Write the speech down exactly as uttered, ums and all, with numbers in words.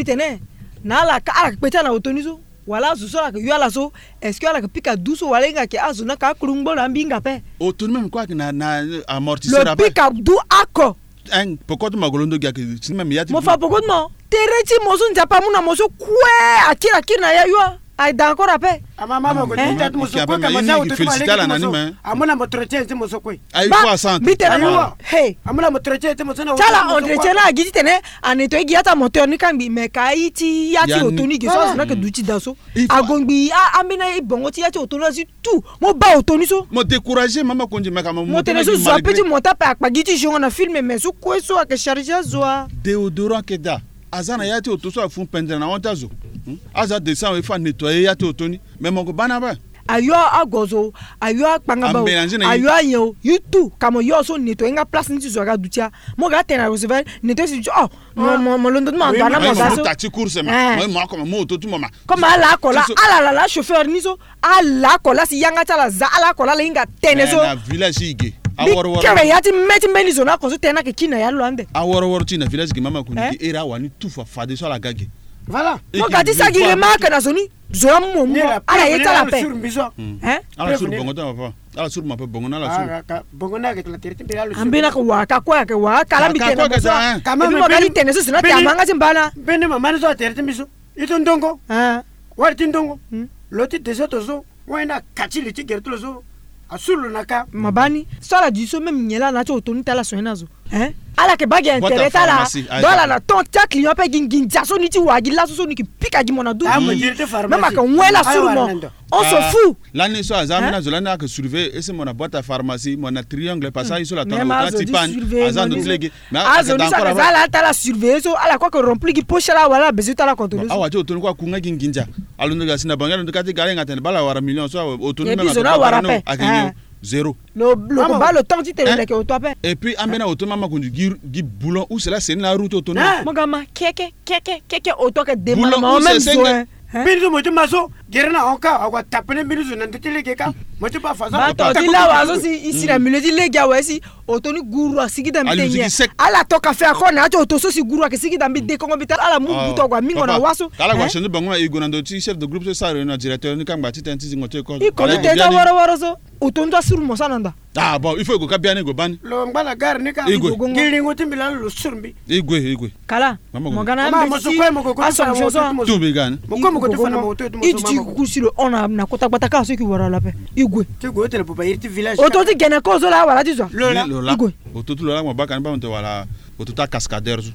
mbi tene na ala ka ala kpe ti ala na oto ni so. Wala azo so ala yeke yo ala so, est-ce que ala yeke pika du so wala e hinga ayeke azo ni ayeke akuru ngbo na ambi hinga ape? Oto ni même kue ayeke na, na amortisseur ape. Lo pika du oko. Hein, poko ti mo ko londo gi ayeke si ni même ya ti mo fa poko ti mo. Tere ti mo so Nzapa amu na mo so kue akiri akiri na ya yo. Aye da encore ape. Ama mama ko ti ta ti mo so kue ka ma za oto ti mo alege ti mo so. Amu na mo entretien ti mo so kue. Aye fo asante. Mbi tene mo. Hey. Amu na mo entretien ti mo so na ti ala entretien na agi titene a nettoyer gi ya ti amoteur ni kangbi, mais ka aye ti ya ti oto ni ge so azo ni ayeke duti daa so. Ago ngbii, ambeni e bongo ti ya ti oto ni azi tout. Mo baa oto ni so. Mo décourager mama Kondji, me ka mo tene so zo ape ti monter ape akpa gi ti jongo na film, mais so kue so ayeke charger azo a. Déodorant ayeke daa. Aza na ya ti oto so afu pendere na hon ti azo. Hmm? Azo adescend awe, il faut anettoyer ya ti oto ni. Mais mo ko baa ni ape. Ayo agozo, ayo akpangaba o, ayo anyen o, yo tout ka mo yo so nettoyer nga place ni ti zo aga duti a. Mo ga atene na recevoir nettoyer si duti o. Mo, mo, mo londo ti mo ando ana mo ga so. Mo ta ti course ma. Eh. Mo, mo akoma mo oto ti mo ma. Comme ala ako laa, ala laa chauffeur ni so. Ala ako laa si yanga ti ala za, ala ako laa ala hinga tene so. Eh, na village ti e ge. Aworo woro. Kere ya ti me ti mbeni zo na ako so tene ayeke kiri na ya ti lo ande. Aworo woro ti e na village ge mama Kondji, eh? Iri awani tout fa fade so ala ga ge. Voilà. Mo ga ti sara gi remarque na zo ni. Zo amu mo mu mo. Ala ye ti ala ape. Hein? Ala suru bongo ti ala papa. Ala suru mo ape bongo na ala suru. Ah, ka, bongo na ayeke tene tere ti mbi la lo suru. Ambeni ayeke wara ka kue ayeke wara ka la mbi tene mo so. Ka mbi mo ga ti tene so si na ti amanga ti mba na. Mbeni mama ni so atere ti mbi so. Ito ndongo. Ah. Wari ti ndongo. Hmm. Lo ti deso to so. Wani na ka ti li ti gere ti lo so. Asuru lo na ka. Mabani. So ala duti so même nyen laa na ya ti oto ni ti ala soigner na zo. Hein? Ala yeke baa gi intérêt ti ala. Donc ala na temps ti aclient ape gi nginza so ni ti wara gi laso so ni yeke pika gi mo na duti. Même ayeke wen la suru mo. On s'en fout. Lani so aza ambeni azo lani ayeke surveiller ese mo na boîte à pharmacie, mo na triangle parce que aye so la tanga lo ti panne. Aza ndo ti lege. Mais azo ni so ayeke za ala ti ala surveiller so ala kue ayeke remplir gi poche ala wala ala besoin ti ala contrôler so. Awa ti oto ni kue aku nga gi nginza. Alondo ga si na bangi alondo ka ti ga ala hinga atene baa ala wara million so oto ni même zo na wara ape. Ayeke nyon. Zéro. Lo, lo ko baa lo temps ti tene lo yeke oto ape. Et puis ambeni oto mama Kondji gi, gi boulon use la seni na aroue ti oto ni. Mo ga ma keke keke keke oto ayeke démarrer ma o même zo. Mbeni so mo ti ma so gere na hon ka awa tapene mbeni so na ndö ti lege ka. Mo ti baa fa so. Baa to ti lawa so si i si na milieu ti lege awe si oto ni guru asigi da mbi te nyen. Ala toka fait encore na ya ti oto so si guru ayeke sigi da mbi dekongo mbi tara ala mu butu ague amingo na wa so. Ka ala gue achangé bango na e gue na ndö ti chef de groupe so e sara réunion na directeur ni kangba ti tënë ti zingo ti école. I kono tënë ti aworo woro so. Oto ni so asuru mo so na nda. Ah bon, il faut e gue ka biani e gue bani. Lo ngba na gare ni ka. E gue. Gi lingo ti mbi lani lo suru mbi. E gue, e gue. Kala. Mo ga na mama mo so kue mo ko ko ti fa na mo oto ti mo so. Tu mbi ga ni. Mo kue mo ko ti fa na mo oto ti mo so. I duti kuku si lo hon na kota gbata kâ so e yeke wara lo ape. E gue. Ti gue o tene buba iri ti village. Oto ti gene kozo laa wala ti zo. Lo laa. E gue. Oto ti lo laa mo baa ka ni baa mo tene wala oto ti akascadeur so.